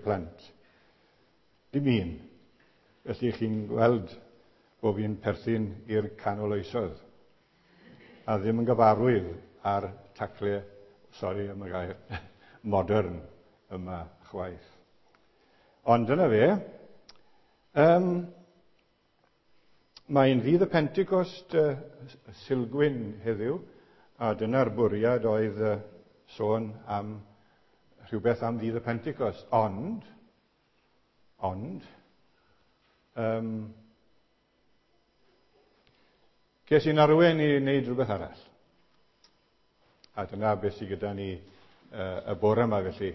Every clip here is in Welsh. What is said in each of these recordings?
plant. Dim un. Felly chi'n gweld bod fi'n perthyn i'r canol oesoedd. A ddim yn gyfarwydd ar tacle, sori am y gair, modern yma chwaith. Ond dyna fe. Mae'n ddydd y Pentecost Sulgwyn heddiw, a dyna'r bwriad oedd sôn am rhywbeth am ddydd y Pentecost. Ond, ces i'n arwain i wneud rhywbeth arall. A dyna beth sydd gyda ni y bore yma felly.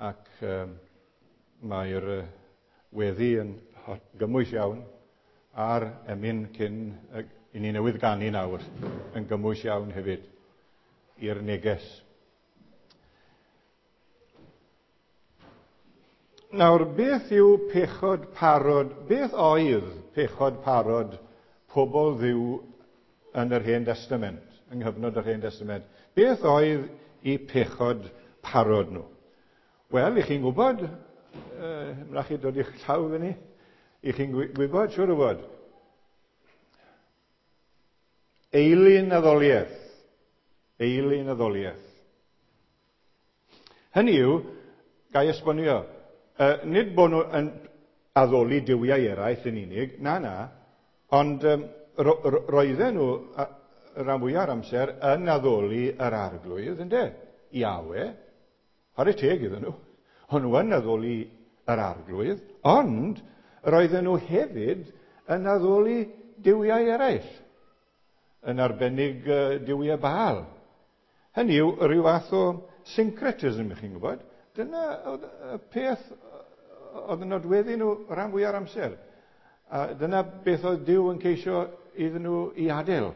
Ac mae'r weddi yn gymwys iawn, a'r emyn cyn i ni newydd ganu nawr yn gymwys iawn hefyd i'r neges. Nawr, beth yw pechod parod? Beth oedd pechod parod pobl Dduw yn yr Hen Destament, yng nghyfnod yr Hen Destament? Beth oedd eu pechod parod nhw? Wel, i chi'n gwybod, na chi dod i'ch llaw fyny, i chi'n gwybod, siŵr o fod. Eilun addoliaeth. Eilun addoliaeth. Hynny yw, ga i esbonio, nid bod nhw yn addoli duwiau eraill yn unig, na, ond roedden nhw rhan fwyaf o'r amser yn addoli yr arglwydd, ynde? Iawe. Chwarae teg iddyn nhw. O'n nhw yn addoli yr arglwydd, ond roedden nhw hefyd yn addoli duwiau eraill, yn arbennig duwiau Baal. Hynny yw, rhyw fath o syncretism, ych chi'n gwybod. Dyna oedd y peth oedd yn nodweddu nhw rhan fwyaf o'r amser. A dyna beth oedd Duw yn ceisio iddyn nhw i adael.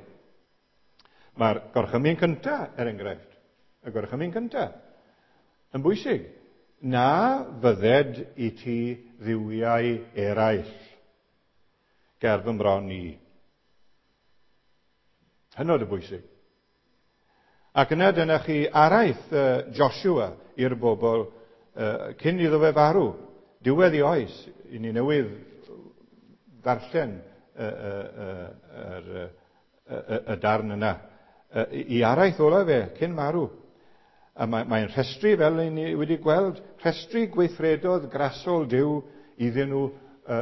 Mae'r gorchymyn cyntaf, er enghraifft, y gorchymyn cyntaf, yn bwysig. Na fydded i ti dduwiau eraill ger fy mron i. Hynod o bwysig. Ac yna dyna chi araith Joshua i'r bobl cyn iddo fe farw. Diwedd i oes, i ni newydd ddarllen y darn yna. I araith ola fe cyn marw. A mae'n rhestru, fel ni wedi gweld, rhestru gweithredodd grasol Duw iddyn nhw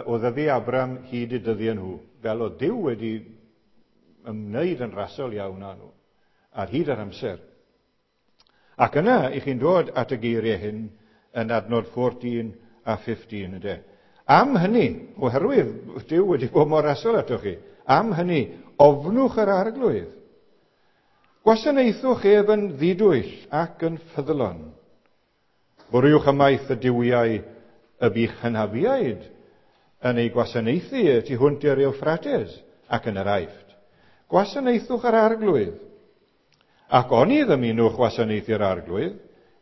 o ddyddi Abram hyd y dyddiau nhw. Fel oedd Duw wedi ymwneud yn rasol iawn â nhw ar hyd yr amser. Ac yna, i chi'n dod at y geiriau hyn yn adnod 14 a 15, ynde. Am hynny, oherwydd Duw wedi bod mor rasol atoch chi, am hynny, ofnwch yr arglwydd. Gwasanaethwch ef yn ddidwyll ac yn ffyddlon. Bwriwch ymaith y duwiau y bych hynafiaid yn ei gwasanaethu y tu hwnt i'r Euphrates ac yn yr Aifft. Gwasanaethwch yr arglwydd. Ac oni ddymunwch wasanaethu'r arglwydd,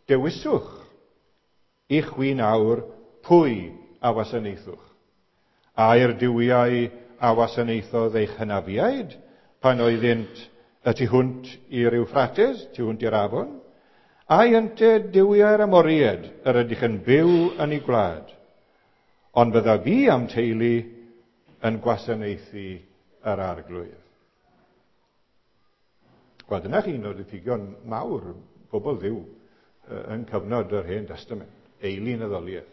dewiswch i chwi nawr pwy a wasanaethwch. Ai'r duwiau a wasanaethodd eich hynafiaid pan oeddynt y tu hwnt i'r Euphrates, tu hwnt i'r afon, ai ynte duwiau'r Amoriaid yr ydych yn byw yn ei gwlad. Ond fydda fi am teulu yn gwasanaethu yr arglwydd. Wel, dyna chi un o'r diffygion mawr pobl Dduw yn cyfnod yr Hen Destament, eilun addoliaeth.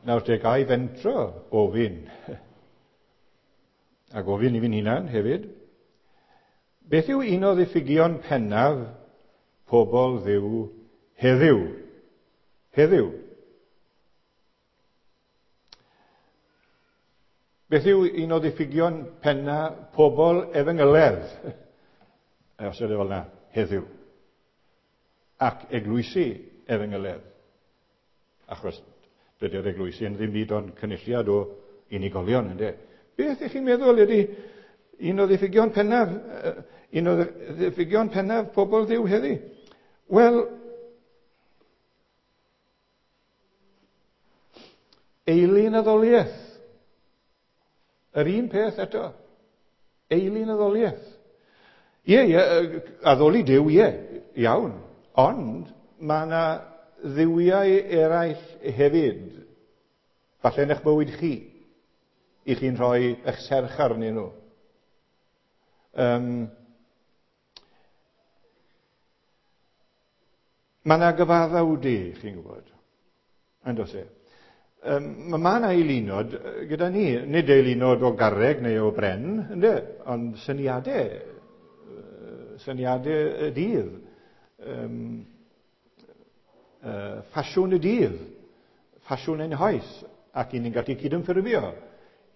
Nawr te, ga i fentro ofyn, a gofyn i fi'n hunan hefyd, beth yw un o ddiffygion pennaf pobl Dduw heddiw? Heddiw. Beth yw un o ddiffygion penna pobl efengyledd? Os ydy fel yna, heddiw. Ac eglwysi efengyledd. Achos dydy'r eglwysi yn ddim byd ond cynulliad o unigolion, ynde? Beth ych chi'n meddwl ydy un o ddiffygion pennaf, un o ddiffygion pennaf pobl Dduw heddi? Wel, eilun addoliaeth. Yr un peth eto. Eilun addoliaeth. Ie, addoli Duw, ie, iawn. Ond mae yna dduwiau eraill hefyd, falle yn eich bywyd chi, i chi'n rhoi eich serch arnyn nhw. Mae yna gyfaddawdu, chi'n gwybod, yn does e? Mae yna eilunod gyda ni, nid eilunod o garreg neu o bren, ynde, ond syniadau, syniadau y dydd, ffasiwn y dydd, ffasiwn ein hoes, ac i ni'n gallu cydymffurfio,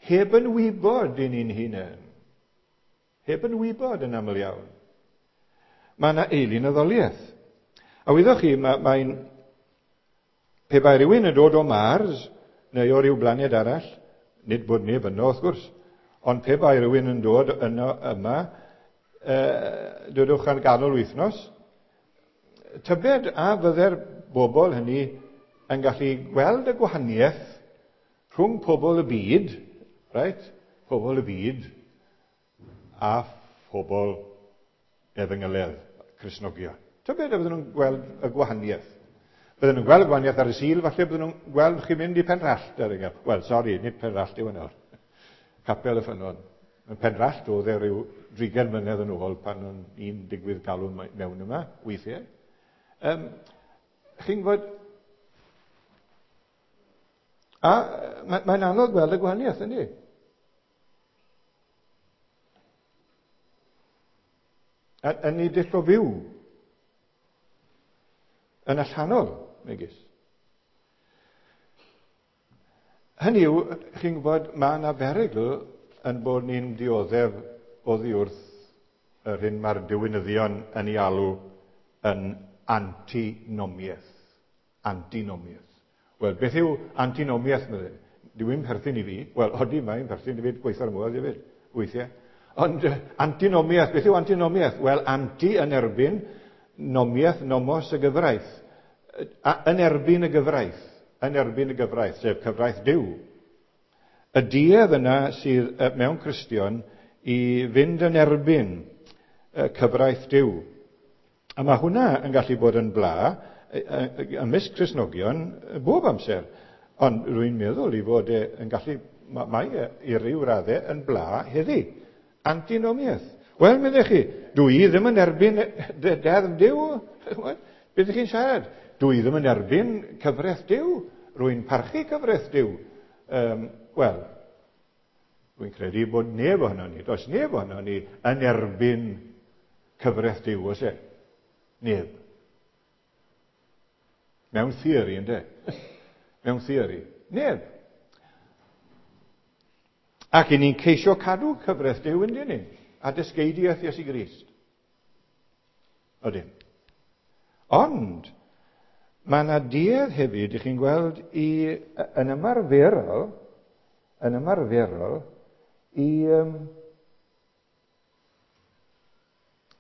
heb yn wybod i ni'n hunain. Heb yn wybod yn aml iawn. Mae yna eilun addoliaeth. A wyddoch chi, mae'n... Pe bai rhywun yn dod o Mars, neu o ryw blaned arall, nid bod neb yno wrth gwrs, ond pe bai rhywun yn dod yno yma, dodwch ar ganol wythnos, tybed a fydde'r bobl hynny yn gallu gweld y gwahaniaeth rhwng pobl y byd, right? Pobl y byd, a phobl efengyledd, Cristnogion. Tybed a fydden nhw'n gweld y gwahaniaeth. Bydden nhw'n gweld y gwahaniaeth ar y Sul, falle bydden nhw'n gweld chi mynd i Penrallt. Er enghraifft. Wel, sori, nid Penrallt yw hwnna. Capel y Ffynnon. Yn Penrallt oedd e ryw 30 mlynedd yn ôl pan o'n i'n digwydd galw mewn yma, weithiau. Chi'n gwybod... A mae'n anodd gweld y gwahaniaeth, yndi? Yn ei dull o fyw. Yn allanol, megis. Hynny yw, chi'n gwybod, mae yna berygl yn bod ni'n dioddef oddi wrth yr hyn mae'r diwinyddion yn ei alw yn antinomiaeth. Antinomiaeth. Wel, beth yw antinomiaeth? Dyw e'n perthyn i fi. Wel, odi, mae'n perthyn i fi, gweithio'r modd hefyd, weithiau. Ond antinomiaeth, beth yw antinomiaeth? Wel, anti yn erbyn, nomiaeth, nomos y gyfraith. Yn erbyn y gyfraith, yn erbyn y gyfraith, sef cyfraith Duw. Y duedd yna sydd mewn Cristion i fynd yn erbyn cyfraith Duw. A mae hwnna yn gallu bod yn bla ymysg Cristnogion bob amser. Ond rwy'n meddwl i fod e yn gallu, mae e i ryw raddau yn bla heddi. Antinomiaeth. Wel, meddech chi, dwi i ddim yn erbyn deddf Duw. Beth ydych chi'n siarad? Dwi i ddim yn erbyn cyfraith Duw. Rwy'n parchu cyfraith Duw. Wel, rwy'n credu bod neb ohono ni, does neb ohono ni yn erbyn cyfraith Duw, oes e? Neb. Mewn theori, ynddo? Mewn theori. Neb. Ac i ni'n ceisio cadw cyfraith Duw, ynddo ni? A dysgeidiaeth Iesu Grist. Odyn. Ond, mae yna duedd hefyd, i chi'n gweld, yn ymarferol,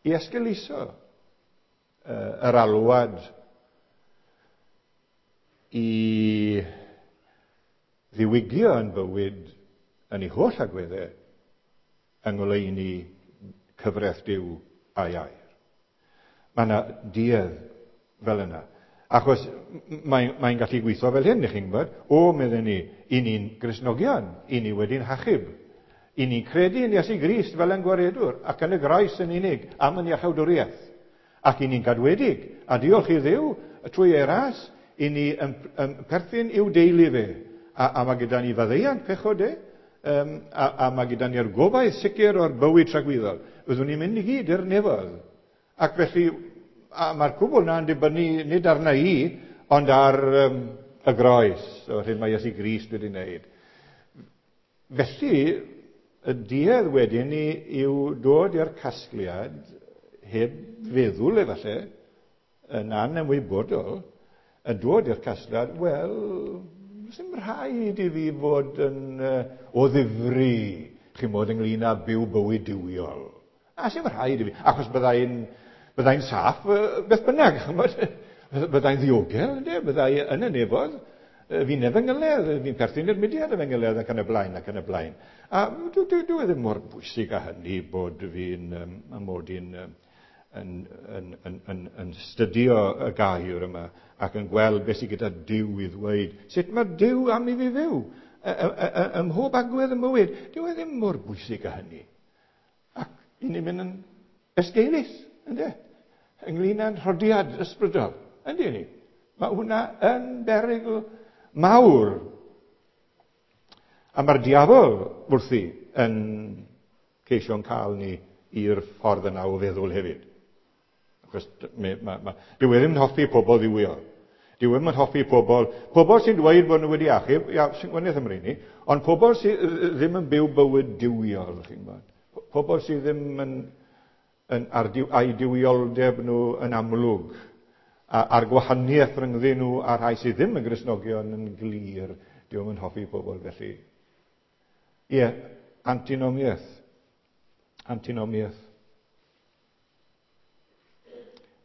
i esgeuluso yr alwad i ddiwygio yn bywyd yn ei holl agweddau yng ngoleuni cyfraith Duw a'i air. Mae yna duedd fel yna. Achos mae'n gallu gweithio fel hyn, chi'n gwybod. O, medden ni, i ni'n Gristnogion, i ni wedi'n hachub. I ni'n credu yn Iesu Grist fel yn gwaredwr, ac yn y groes yn unig, am yn iachawdwriaeth. Ac i ni'n gadwedig, a diolch i Dduw, trwy ei ras, i ni yn perthyn i'w deulu fe. A mae gyda ni faddeuant pechod e, a mae gyda ni'r gobaith sicr o'r bywyd tragwyddol. Byddwn ni'n mynd i gyd i'r nefoedd. Ac felly, a mae'r cwbl na'n dibynnu nid arna i, ond ar y groes, o'r hyn mae Iesu Grist wedi wneud. Felly, y duedd wedyn ni yw dod i'r casgliad, heb feddwl efallai, yn anymwybodol, yn dod i'r casgliad, wel, sy'n rhaid i fi fod yn o ddifri, chi'n bod ynglyn â byw bywyd duwiol. A sy'n rhaid i fi, achos byddai'n saff beth bynnag, byddai'n ddiogel, ynddo? Byddai yn y nefoedd, fi'n efengyledd, fi'n perthyn i'r mudiad efengyledd ac yn y blaen, ac yn y blaen. A dwi ddim mor bwysig â hynny bod fi'n mod i'n yn, yn, yn, yn, yn stydio y gair yma ac yn gweld beth sydd gyda Duw i ddweud. Sut mae Duw am i fi fyw? Ym mhob agwedd y mywyd. Dyw e ddim mor bwysig â hynny. Ac i ni'n mynd yn esgeulus, ynddo? Ynglyn â'n rhodiad ysbrydol, ynddo ni? Mae hwnna yn berygl mawr. A mae'r diafol wrthi yn ceisio'n cael ni i'r ffordd yna o feddwl hefyd. Achos dyw e ddim yn hoffi pobl ddiwiol. Dyw e ddim yn hoffi pobl, pobl sy'n dweud bod nhw wedi achub, ia, sy'n gwaniaeth am ni, ond pobl sydd ddim yn byw bywyd diwiol, chi'n gwybod. Pobl sydd ddim yn, yn ar diw, a'i diwioldeb nhw yn amlwg, a'r gwahaniaeth rhyngddyn nhw a'r rhai sydd ddim yn Gristnogion yn glir. Dyw e ddim yn hoffi pobl felly. Ie, antinomiaeth. Antinomiaeth.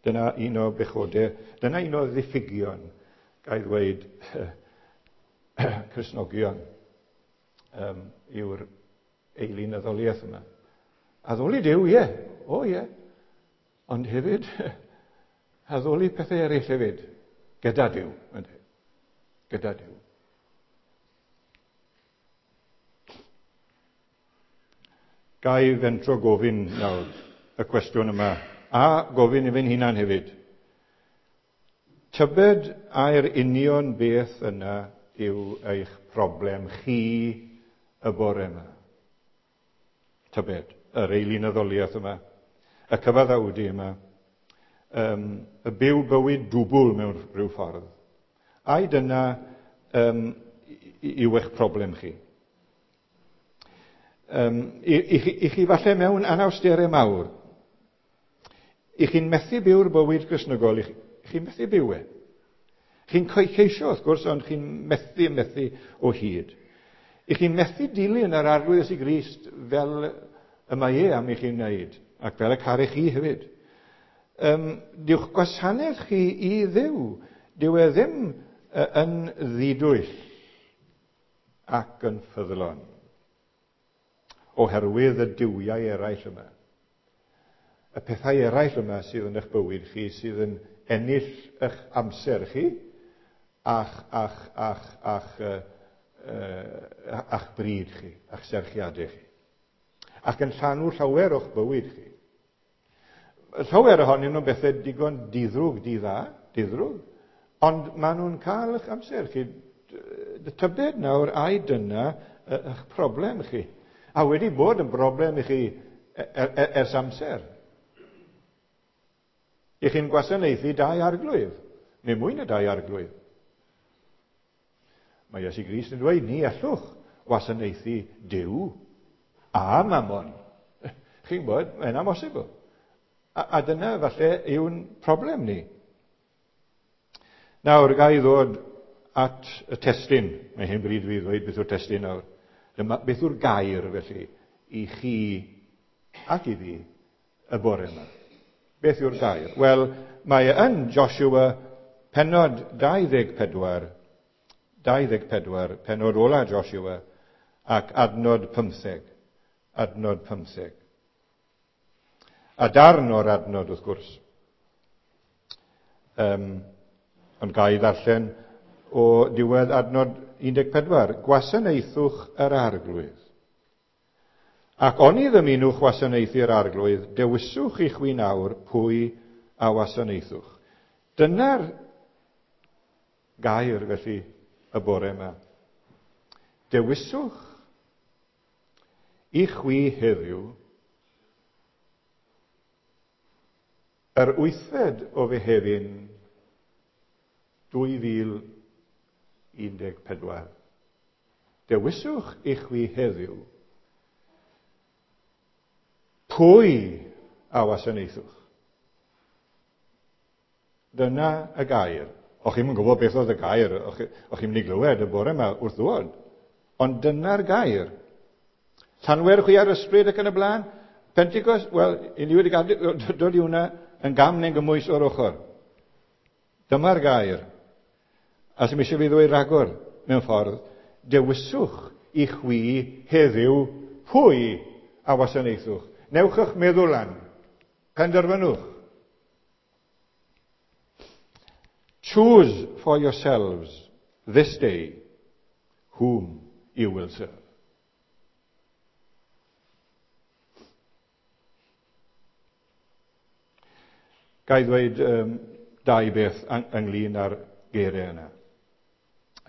Dyna un o bechodau, dyna un o ddiffygion, ga i ddweud, Cristnogion, yw'r eilunyddoliaeth yma. Addoli Duw, ie, o ie, ond hefyd, addoli pethau eraill hefyd, gyda Duw, ynddo, gyda Duw. Ga i fentro gofyn nawr y cwestiwn yma, a gofyn i fi'n hunan hefyd. Tybed ai'r union beth yna yw eich problem chi y bore yma? Tybed, yr eilunyddoliaeth yma, y cyfaddawdu yma, y byw bywyd dwbl mewn rhyw ffordd. Ai dyna yw eich problem chi? I chi falle mewn anawsterau mawr, i chi'n methu byw'r bywyd Gristnogol, i chi'n methu byw e. Chi'n ceisio, wrth gwrs, ond chi'n methu o hyd. I chi'n methu dilyn yr Arglwydd Iesu Grist fel y mae e am i chi'n wneud, ac fel y caru chi hefyd. Dyw'ch gwasanaeth chi i Dduw, dyw e ddim yn ddidwyll ac yn ffyddlon, oherwydd y duwiau eraill yma. Y pethau eraill yma sydd yn eich bywyd chi, sydd yn ennill eich amser chi, a'ch bryd chi, a'ch serchiadau chi. Ac yn llanw llawer o'ch bywyd chi. Llawer ohonyn nhw'n bethau digon diddrwg, didda, diddrwg, ond maen nhw'n cael eich amser chi. Tybed nawr, ai dyna eich problem chi? A wedi bod yn broblem i chi ers amser. I chi'n gwasanaethu dau arglwydd, neu mwy na dau arglwydd. Mae Iesu Grist yn dweud, ni allwch wasanaethu Duw a Mammon. Chi'n gwybod, mae'n amhosibl. A dyna falle yw'n problem ni. Nawr, ga i ddod at y testun. Mae hen bryd fi ddweud beth yw'r testun nawr. Dyma beth yw'r gair, felly, i chi ac i fi y bore yma. Beth yw'r gair? Wel, mae e yn Joshua pennod 24, 24, pennod ola Joshua, ac adnod 15. Adnod 15. A darn o'r adnod, wrth gwrs. Ond ga i ddarllen o diwedd adnod 14. Gwasanaethwch yr Arglwydd. Ac oni ddymunwch wasanaethu'r Arglwydd, dewiswch i chwi nawr pwy a wasanaethwch. Dyna'r gair, felly, y bore yma. Dewiswch i chwi heddiw yr wythfed o Fehefin 2014. Dewiswch i chwi heddiw pwy a wasanaethwch. Dyna y gair. O'ch chi'm yn gwybod beth oedd y gair, o'ch chi'n mynd i glywed y bore yma wrth ddod. Ond dyna'r gair. Llanwer chwi ar ysbryd ac yn y blaen. Pentecost, wel, i ni wedi dod i hwnna yn gam neu'n gymwys o'r ochr. Dyma'r gair. A sy'm eisiau fi ddweud rhagor mewn ffordd, dewiswch i chwi heddiw pwy a wasanaethwch. Newch eich meddwl lan. Penderfynwch. Choose for yourselves this day whom you will serve. Ga i ddweud dau beth ynglyn â'r geiriau yna.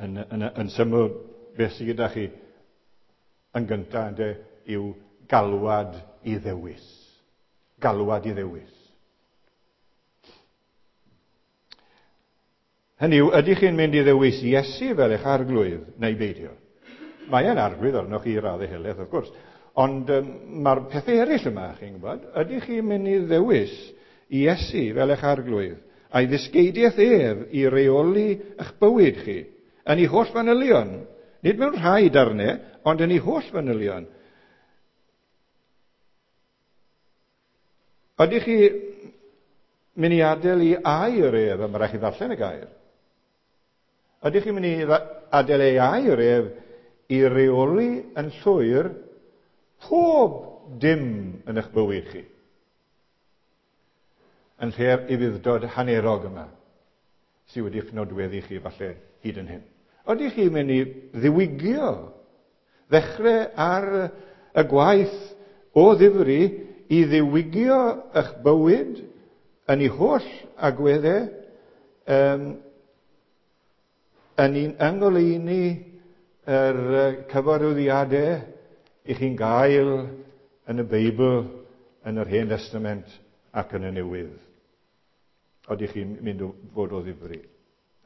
Yn syml, beth sydd gyda chi yn gyntaf ynde, yw galwad i ddewis. Galwad i ddewis. Hynny yw, ydych chi'n mynd i ddewis Iesu fel eich arglwydd neu beidio? Mae e'n arglwydd arnoch chi i raddau helaeth, wrth gwrs. Ond mae'r pethau eraill yma, chi'n gwybod, ydych chi'n mynd i ddewis Iesu fel eich arglwydd, a'i ddysgeidiaeth ef i reoli eich bywyd chi, yn ei holl fanylion, nid mewn rhai darnau, ond yn ei holl fanylion. Ydych chi mynd i adael i air ef, a mae rhaid chi ddarllen y gair. Ydych chi'n mynd i adael ei air ef i reoli yn llwyr pob dim yn eich bywyd chi? Yn lle'r ufudd-dod hanerog yma sydd wedi'ch nodweddu chi falle hyd yn hyn. Ydych chi'n mynd i ddiwygio, ddechrau ar y gwaith o ddifri i ddiwygio eich bywyd yn ei holl agweddau, yn un yng ngoleuni yr cyfarwyddiadau i chi'n gael yn y Beibl, yn yr Hen Testament ac yn y Newydd. Oeddech chi'n mynd o fod o ddifri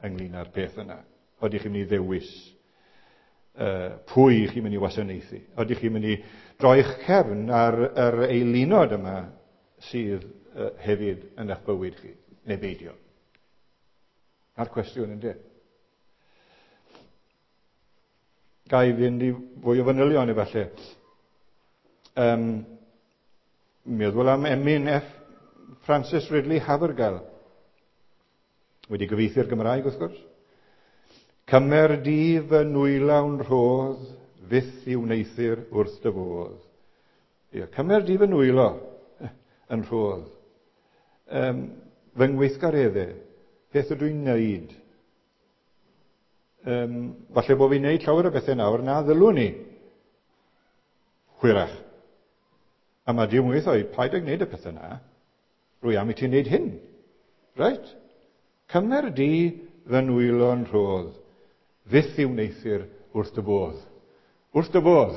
ynglyn â'r peth yna? Oeddech chi'n mynd i ddewis pwy chi'n mynd i wasanaethu? Oeddech chi'n mynd i droi'ch cefn ar yr eilunod yma sydd hefyd yn eich bywyd chi, neu beidio? A'r cwestiwn ynddo. Ga i fynd i fwy o fanylion efallai. Meddwl am emyn F. Francis Ridley Havergal. Wedi gyfieithu'r Gymraeg, wrth gwrs. Cymer di fy nwylawn rhodd, fyth i wneuthur wrth dy fodd. Ie, cymer di fy nwylo yn rhodd. Fy ngweithgareddau, beth ydw i'n neud? Falle bod fi'n neud llawer o bethau nawr na ddylwn ni. Hwyrach. A mae Duw yn gweithio, paid ag wneud y pethau na. Rwy am i ti wneud hyn. Right? Cymer di fy nwylo'n rhodd, fyth i wneuthur wrth dy bodd. Wrth dy bodd.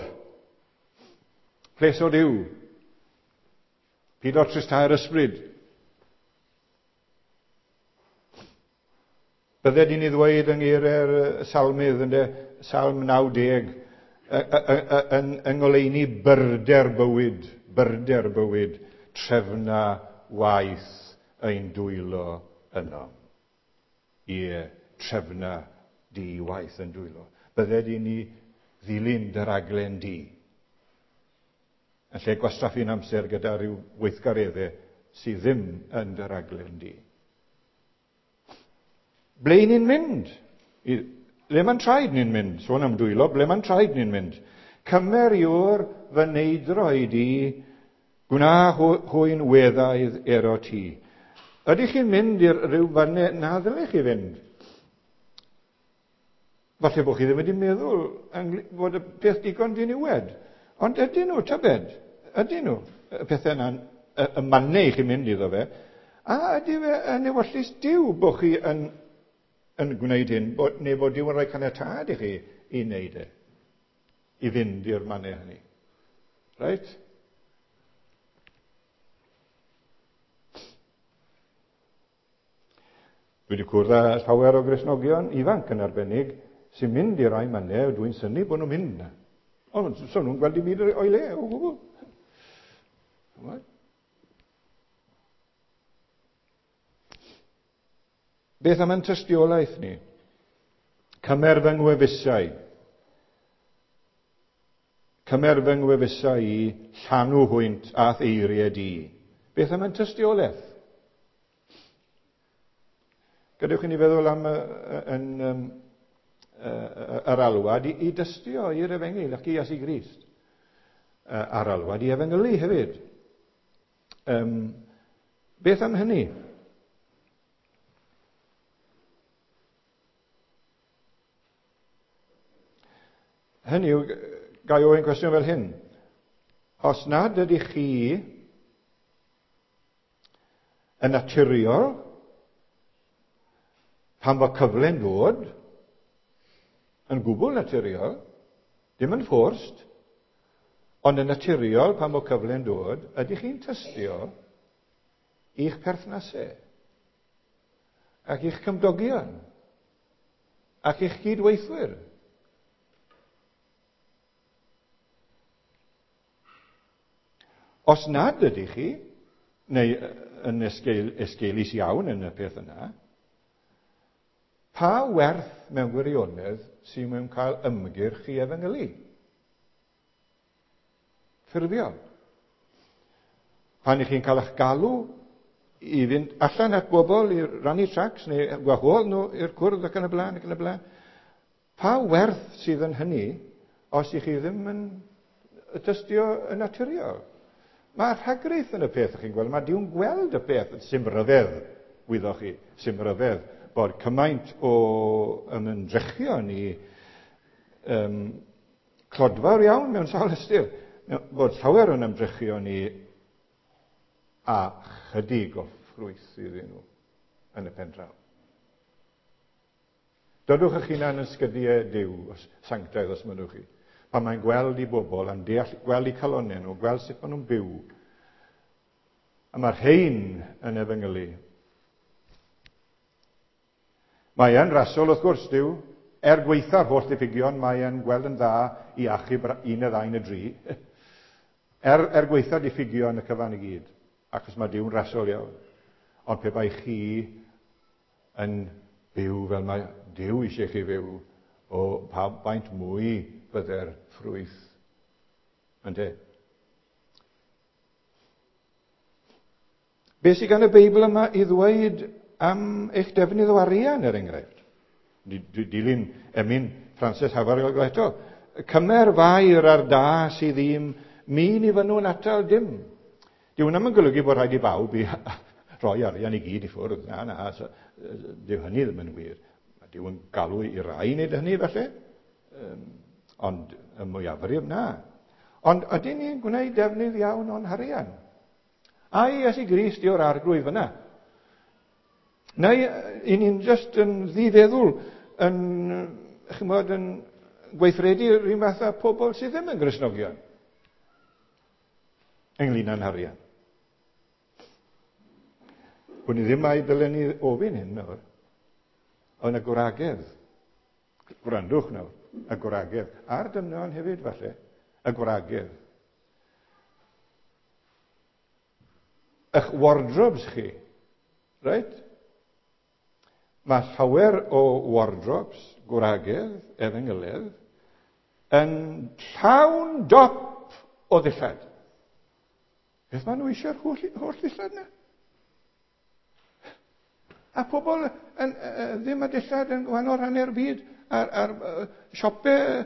Pleso Duw. Pido tristau'r ysbryd. Bydded i ni ddweud yng ngeiriau'r salmydd, ynde, Salm 90, yng ngoleuni byrder bywyd, byrder bywyd, trefna waith ein dwylo yno. Ie, trefna di waith yn dwylo. Bydded i ni ddilyn dy raglen di. Yn lle gwastraffu'n amser gyda rhyw weithgareddau sydd ddim yn dy raglen di. Ble ni'n mynd? Le mae'n traed ni'n mynd? Sôn am dwylo, ble mae'n traed ni'n mynd? Cymer yw'r fy neidro i di, gwna hwy'n weddaidd ero ti. Ydych chi'n mynd i'r rhyw fannau na ddylech chi fynd? Falle bod chi ddim wedi meddwl fod y peth digon diniwed. Ond ydyn nhw, tybed? Ydyn nhw? Y pethau yna, y mannau i chi mynd iddo fe. A ydy fe yn ewyllys Duw bod chi yn gwneud hyn, neu bod Duw yn rhoi caniatâd i chi i wneud e, i fynd i'r mannau hynny. Right? Dwi wedi cwrdd â llawer o Gristnogion ifanc yn arbennig sy'n mynd i rai mannau, dwi'n synnu bod nhw'n mynd na. Ond so nhw'n gweld dim byd o'i le o gwbl. Beth am ein tystiolaeth ni? Cymer fy ngwefusau. Cymer fy ngwefusau i llanw hwynt a'th eiriau di. Beth am ein tystiolaeth? Gadewch i ni feddwl am yr alwad i dystio i'r efengyl ac i Iesu Grist. A'r alwad i efengylu hefyd. Beth am hynny? Hynny yw, ga i ofyn cwestiwn fel hyn. Os nad ydych chi yn naturiol, pan fo cyfle'n dod, yn gwbl naturiol, dim yn forced, ond yn naturiol pan fo cyfle'n dod, ydych chi'n tystio i'ch perthnasau ac i'ch cymdogion ac i'ch cydweithwyr? Os nad ydych chi, neu yn esgeulus iawn yn y peth yna, pa werth mewn gwirionedd sy'n mewn cael ymgyrch i efengylu? Ffurfiol. Pan ych chi'n cael eich galw i fynd allan at bobl i rannu tracts neu gwahodd nhw i'r cwrdd ac yn y blaen ac yn y blaen, pa werth sydd yn hynny os ych chi ddim yn tystio yn naturiol? Mae rhagrith yn y peth, chi'n gweld. Mae Duw'n gweld y peth. Sim ryfedd, wyddoch chi, sim ryfedd bod cymaint o ymdrechion i clodfawr iawn mewn sawl ystyr, bod llawer o'n ymdrechion ni a chydig o ffrwyth iddyn nhw yn y pen draw. Dodwch eich hunan yn sgydiau Duw, os sanctaidd os mynnwch chi. Pan mae'n gweld i bobl, a'n deall, gweld i calonnau nhw, gweld sut maen nhw'n byw. A mae'r rhain yn efengylu. Mae e'n rasol, wrth gwrs, Duw. Er gweitha'r holl diffygion, mae e'n gweld yn dda i achub un neu ddau neu dri. Er gweitha'r diffygion y cyfan i gyd, achos mae Duw'n rasol iawn. Ond pe bai chi yn byw fel mae Duw eisiau chi fyw, o pa faint mwy bydde'r ffrwyth. Ynde? Be sydd gan y Beibl yma i ddweud am eich defnydd o arian, er enghraifft? Dilyn emyn Frances Havergal eto. Cymer fair ar da sydd ddim, mi ni fynnwn atal dim. Dyw hwnna ddim yn golygu bod rhaid i bawb i roi arian i gyd i ffwrdd. Na, na, dyw hynny ddim yn wir. Mae Duw yn galw i rai wneud hynny, falle. Ond y mwyafrif, na. Ond ydyn ni'n gwneud defnydd iawn o'n harian? Ai Iesu Grist yw'r arglwydd fyna? Neu i ni'n just yn ddifeddwl yn, chymod, yn gweithredu yr un fath â pobl sydd ddim yn Gristnogion ynglyn â'n harian? Wn i ddim ai dylen ni ofyn hyn nawr, ond y gwragedd, gwrandwch nawr, y gwragedd, a'r dynion hefyd falle, y gwragedd. Eich wardrobes chi, reit? Mae llawer o wardrobes, gwragedd, efengylydd, yn llawn dop o ddillad. Beth maen nhw eisiau'r holl ddillad yna? A pobl yn, ddim â dillad yn gwahanol rhannau'r byd, a'r siopau,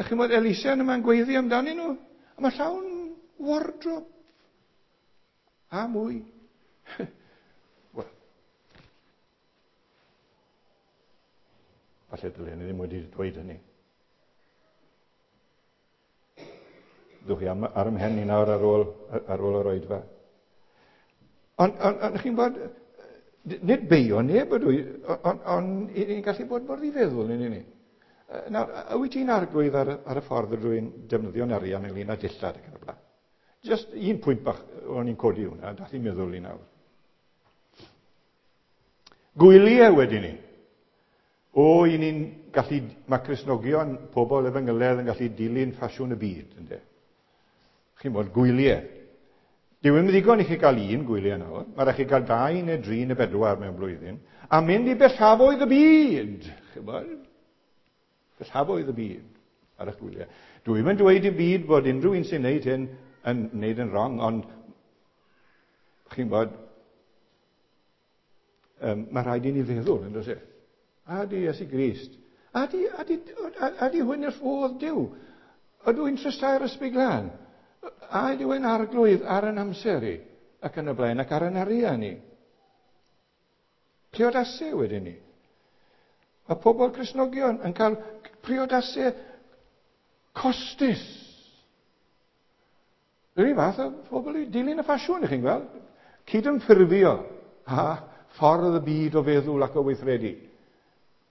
chimod, elusen yma'n gweiddi amdanyn nhw. A mae llawn wardrobe a mwy. Wel, falle dylen ni ddim wedi dweud hynny. Ddwch chi ar ymhen i nawr ar ôl yr oedfa. Ond chi'n bod, nid beio neb ydw i, ond i ni'n gallu bod mor ddifeddwl yn ni. Nawr, wyt ti'n arglwydd ar y ffordd ydw i'n defnyddio'n arian ynglyn â dillad ac yn y blaen? Just un pwynt bach o'n i'n codi hwnna, dath i'n meddwl i nawr. Gwyliau wedyn ni. O, i ni'n gallu, mae Cristnogion, pobl efengyledd yn gallu dilyn ffasiwn y byd, ynde? Chi'n bod, gwyliau. Dyw e'm ddigon i chi gael un gwyliau nawr, mae rhaid chi gael 2 neu 3 neu 4 mewn blwyddyn, a mynd i bellafoedd y byd, chi'n bod? Bellafoedd y byd ar eich gwyliau. Dwi ddim yn dweud i byd bod unrhyw un sy'n neud hyn yn neud yn wrong, ond chi'n bod, mae rhaid i ni feddwl, yn does e? A di Iesu Grist. A di hwn i'r ffodd Duw. Ydw i'n trystau'r Ysbryd Glân? A ydyw e'n arglwydd ar yn amser i, ac yn y blaen, ac ar yn arian i? Priodasau wedyn ni. Mae pobl Cristnogion yn cael priodasau Costus. Yr un fath o phobl i dilyn y ffasiwn, ych chi'n gweld? Cydymffurfio a ffordd y byd o feddwl ac o weithredu.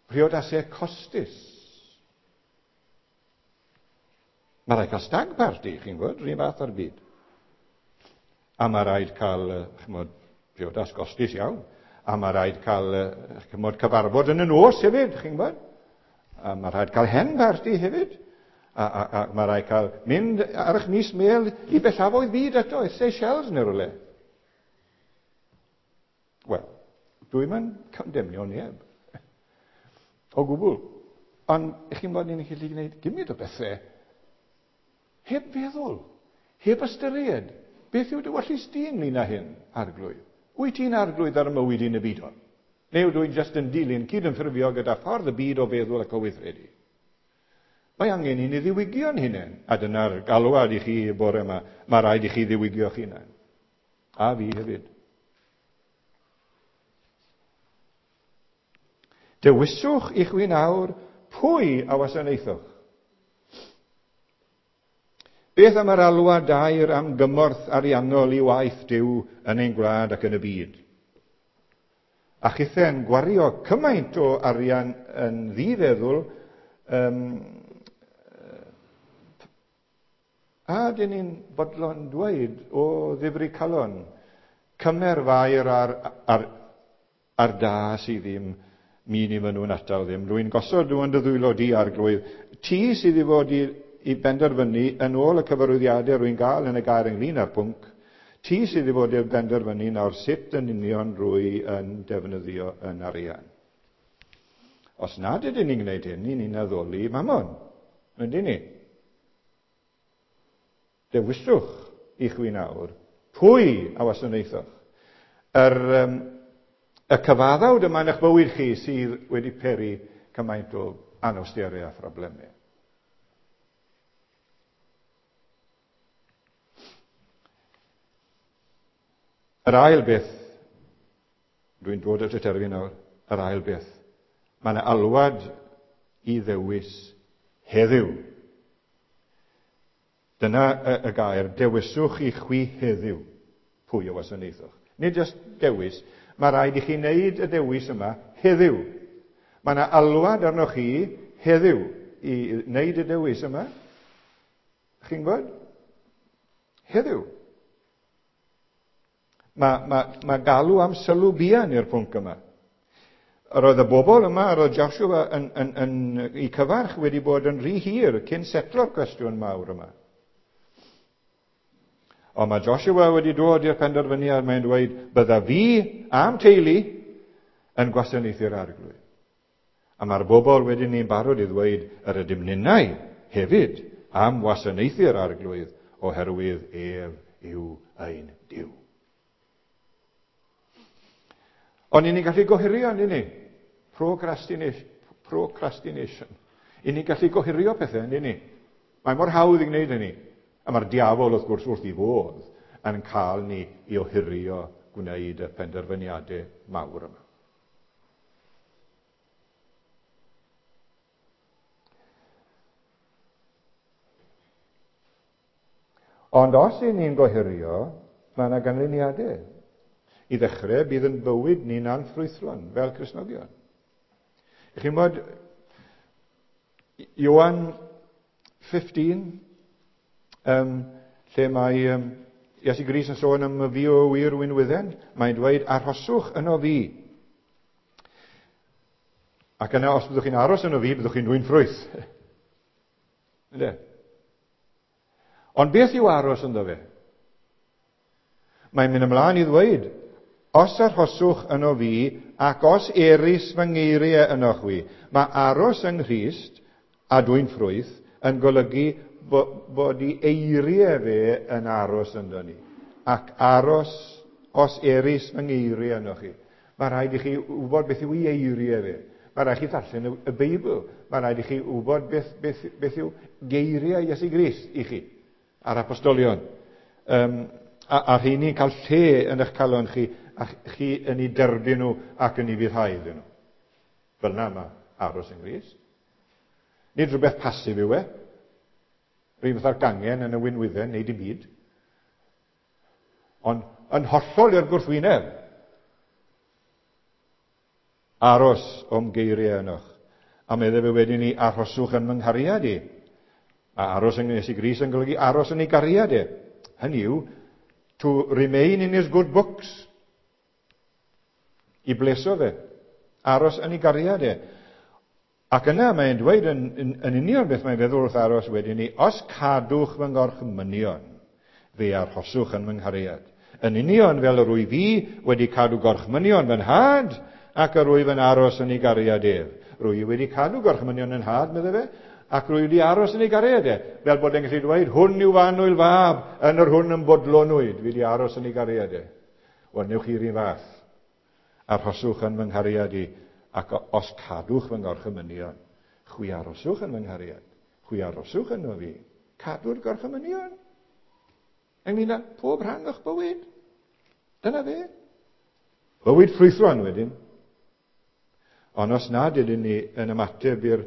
Priodasau costus. Mae rhaid cael stag party, chi'n gwybod, rhywun fath ar byd. A mae rhaid cael, chymod, priodas gostus iawn. A mae rhaid cael, chymod, cyfarfod yn y nos hefyd, chi'n gwybod. A mae rhaid cael hen party hefyd. A mae rhaid cael mynd ar eich mis mel i bellafoedd byd eto, i Seychelles neu rhywle. Wel, dwi'n mynd condemnio neb. O gwbl. Ond chi'n bod ni'n gallu gwneud gymaint o bethau heb feddwl, heb ystyried. Beth yw dy wellus di ynglyn â hyn, arglwydd? Wyt ti'n arglwydd ar y mywyd i'n y byd hwn? Neu ydw i'n just yn dilyn cyd-ymffurfio gyda ffordd y byd o feddwl ac o weithredu? Mae angen i ni ddiwygio'n hunain, a dyna'r galwad i chi y bore yma. Mae rhaid i chi ddiwygio'ch hunain. A fi hefyd. Dewiswch i chwi nawr pwy a wasanaethoch. Beth am yr alwad dair am gymorth ariannol i waith Duw yn ein gwlad ac yn y byd? A chithe'n gwario cymaint o arian yn ddifeddwl, a dyn ni'n bodlon dweud o ddifri calon, cymer fair ar da sydd ddim min i maen nhw'n atal ddim. Rwy'n gosod nhw yn dy ddwylo di, arglwydd. Ti sydd i fod i benderfynu yn ôl y cyfarwyddiadau rwy'n gael yn y gair ynglyn â'r pwnc. Ti sydd i fod i benderfynu nawr sut yn union rwy yn defnyddio yn arian. Os nad ydyn ni'n gwneud hyn, ni'n addoli Mammon. Ydyn ni? Dewiswch i chwi nawr pwy a wasanaethoch. Y cyfaddawd yma yn eich bywyd chi sydd wedi peri cymaint o anawsterau a phroblemau. Yr ail beth, dwi'n dod at y terfyn nawr, yr ail beth, mae yna alwad i ddewis heddiw. Dyna y gair, dewiswch i chwi heddiw pwy o wasanaethoch. Nid jyst dewis, mae rhaid i chi wneud y dewis yma heddiw. Mae yna alwad arnoch chi heddiw i wneud y dewis yma. Chi'n gwybod? Heddiw. Mae galw am sylw buan i'r pwnc yma. Yr oedd y bobl yma, yr oedd Joshua yn i cyfarch wedi bod yn rhy hir cyn setlo'r cwestiwn mawr yma. Ond mae Joshua wedi dod i'r penderfyniad, mae'n dweud, bydda fi a'm teulu yn gwasanaethu'r arglwydd. A mae'r bobl wedyn ni'n barod i ddweud, yr ydym ninnau hefyd am wasanaethu'r arglwydd oherwydd ef yw ein Duw. Ond ni'n gallu gohirio, ni'n ni? Procrastination. Ni'n gallu gohirio pethau, ni'n ni? Mae mor hawdd i gwneud hynny. A mae'r diafol, wrth gwrs, wrth i fodd yn cael ni i ohirio gwneud y penderfyniadau mawr yma. Ond os y'n ni'n gohirio, mae yna ganlyniadau. I ddechrau, bydd yn bywyd ni'n anffrwythlon fel Cristnogion. Chi'n bod, Ioan 15, lle mae Iesu Grist yn sôn am y fi o wir winwydden, mae'n dweud, arhoswch yno fi. Ac yna, os byddwch chi'n aros yno fi, byddwch chi'n dwyn ffrwyth. Ynde? Ond beth yw aros ynddo fe? Mae'n mynd ymlaen i ddweud, os arhoswch yno fi, ac os erys fy ngeiriau yno chwi. Mae aros yng Nghrist a dwyn ffrwyth yn golygu bod i eiriau fe yn aros ynddo ni. Ac aros, os erys fy ngeiriau yno chi. Mae rhaid i chi wybod beth yw ei eiriau fe. Mae rhaid i chi ddarllen y Beibl. Mae rhaid i chi wybod beth yw geiriau Iesu Grist i chi a'r apostolion. A rheini'n cael lle yn eich calon chi, a chi yn ei derbyn nhw ac yn ei fuddhau iddyn nhw. Fel yna mae aros yng Nghrist. Nid rhywbeth pasif yw e. Rwy'n fatha'r gangen yn y winwydden neu dim byd. Ond yn hollol i'r gwrthwyneb. Aros o'm geiriau ynoch. A meddai fe wedyn ni, arhoswch yn fy nghariad i. A aros yng Iesu Grist yn golygu aros yn ei gariad e. Hynny yw, to remain in his good books. I bleso fe. Aros yn ei gariad e. Ac yna mae'n dweud yn, yn, yn union beth mae'n feddwl wrth aros wedyn ni, os cadwch fy ngorchmynion, fe arhoswch yn fy nghariad. Yn union fel yr wyf fi wedi cadw gorchmynion fy nhad, ac yr wyf yn aros yn ei gariad ef. Rwy wedi cadw gorchmynion yn nhad, meddai fe, ac rwy wedi aros yn ei gariad e. Fel bod e'n gallu dweud, hwn yw fy fab, yn yr hwn yn bodlonwyd, fi wedi aros yn ei gariad e. Wel, newch chi'r un fath. Arhoswch yn fy nghariad i, ac os cadwch fy ngorchymynion, chwi aroswch yn fy nghariad, chwi aroswch yno fi. Cadw'r gorchymynion. Ynglyn â pob rhan o'ch bywyd. Dyna fe. Bywyd ffrwythlon wedyn. Ond os nad ydyn ni yn ymateb i'r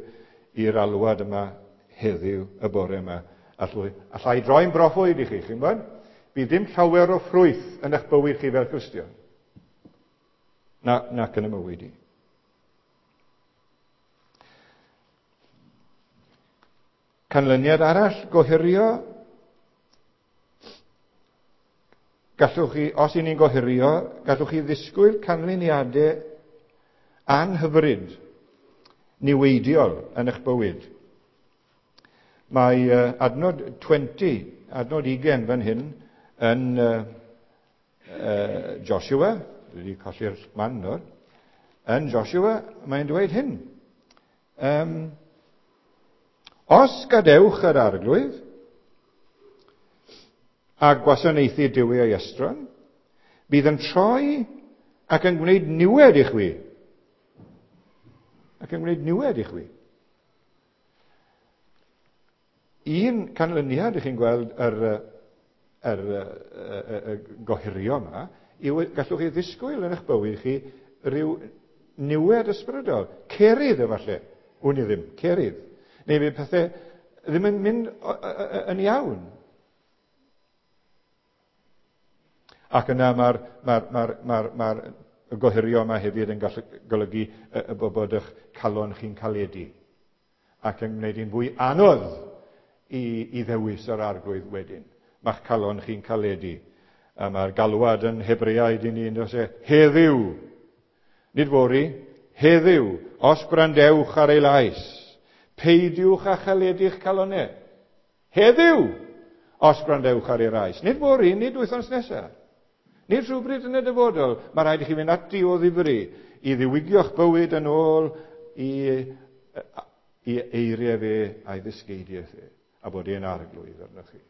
i'r alwad yma heddiw, y bore yma, allai, allai droi'n broffwyd i chi, chi'n gwybod? Bydd dim llawer o ffrwyth yn eich bywyd chi fel Cristion. Na, nac yn y mywyd i. Canlyniad arall, gohirio. Gallwch chi, os i ni'n gohirio, gallwch chi ddisgwyl canlyniadau anhyfryd, niweidiol yn eich bywyd. Mae adnod 20, adnod 20 fan hyn, yn Joshua, dwi wedi colli'r man nawr, yn Joshua, mae'n dweud hyn. Um, os gadewch yr arglwydd a gwasanaethu duwiau estron, bydd yn troi ac yn gwneud niwed i chwi. Ac yn gwneud niwed i chwi. Un canlyniad i chi'n gweld yr, yr, yr, yr, y gohirio yma yw gallwch chi ddisgwyl yn eich bywyd chi rhyw niwed ysbrydol. Cerydd efallai. Wn i ddim. Cerydd. Neu fydd pethau ddim yn mynd yn iawn. Ac yna mae'r mae mae mae mae gohirio yma hefyd yn gallu golygu y bod eich calon chi'n caledu ac yn gwneud hi'n fwy anodd i, i ddewis yr arglwydd wedyn. Mae'ch calon chi'n caledu. A mae'r galwad yn Hebreaid i ni yn dweud, e, heddiw, nid fory, heddiw, os gwrandewch ar ei lais, peidiwch â chaledu'ch calonau. Heddiw, os gwrandewch ar ei lais. Nid fory, nid wythnos nesaf. Nid rhywbryd yn y dyfodol. Mae rhaid i chi fynd ati o ddifri i ddiwygio'ch bywyd yn ôl i, i eiriau fe a'i ddysgeidiaeth e, a bod e'n arglwydd arnoch chi.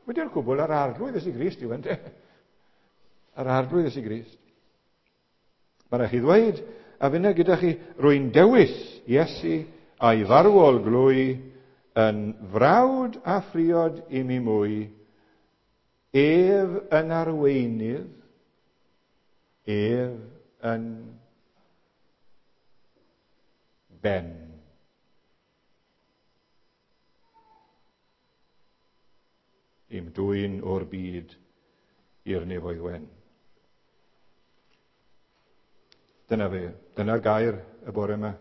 Wedi'r cwbl, yr arglwydd Iesu Grist yw ynte. Yr arglwydd Iesu Grist. Mae rhaid chi ddweud, a finna gyda chi, rwy'n dewis Iesu a'i farwol glwy yn frawd a phriod i mi mwy, ef yn arweinydd, ef yn ben. I'm dwyn o'r byd i'r nefoedd wen. Dyna fe, dyna'r gair y bore yma.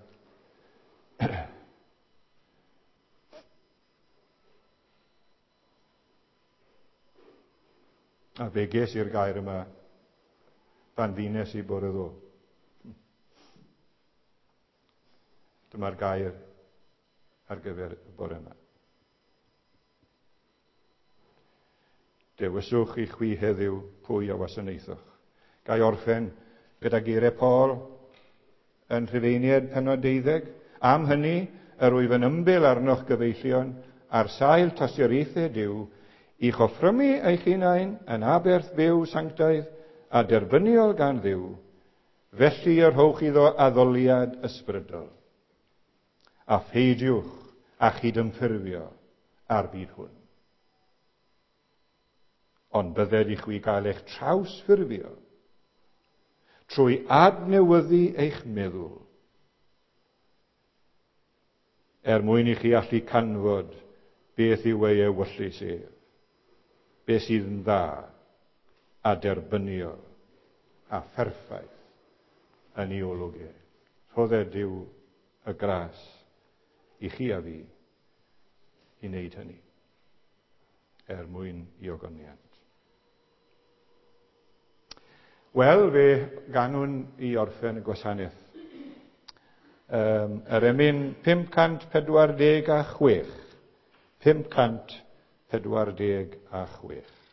A fe ges i'r gair yma pan ddynes i bore ddo. Dyma'r gair ar gyfer y bore yma. Dewiswch i chwi heddiw pwy a wasanaethoch. Gai orffen gyda geiriau Paul yn Rhufeiniaid penod 12. Am hynny, yr wyf yn ymbil arnoch gyfeillion ar sail tosturiaethau Duw, i'ch offrymu eich hunain yn aberth fyw sanctaidd a derbyniol gan Dduw, felly y rhowch iddo addoliad ysbrydol. A pheidiwch a chydymffurfio â'r byd hwn. Ond bydded i chwi gael eich trawsffurfio trwy adnewyddu eich meddwl, er mwyn i chi allu canfod beth yw ei ewyllys ef, beth sydd yn dda a derbyniol a pherffaith yn ei olwg e. Rhodded Duw y gras i chi a fi i wneud hynny er mwyn i ogoniant. Wel, fe ganwn i orffen y gwasanaeth. Yr emyn 546. 546.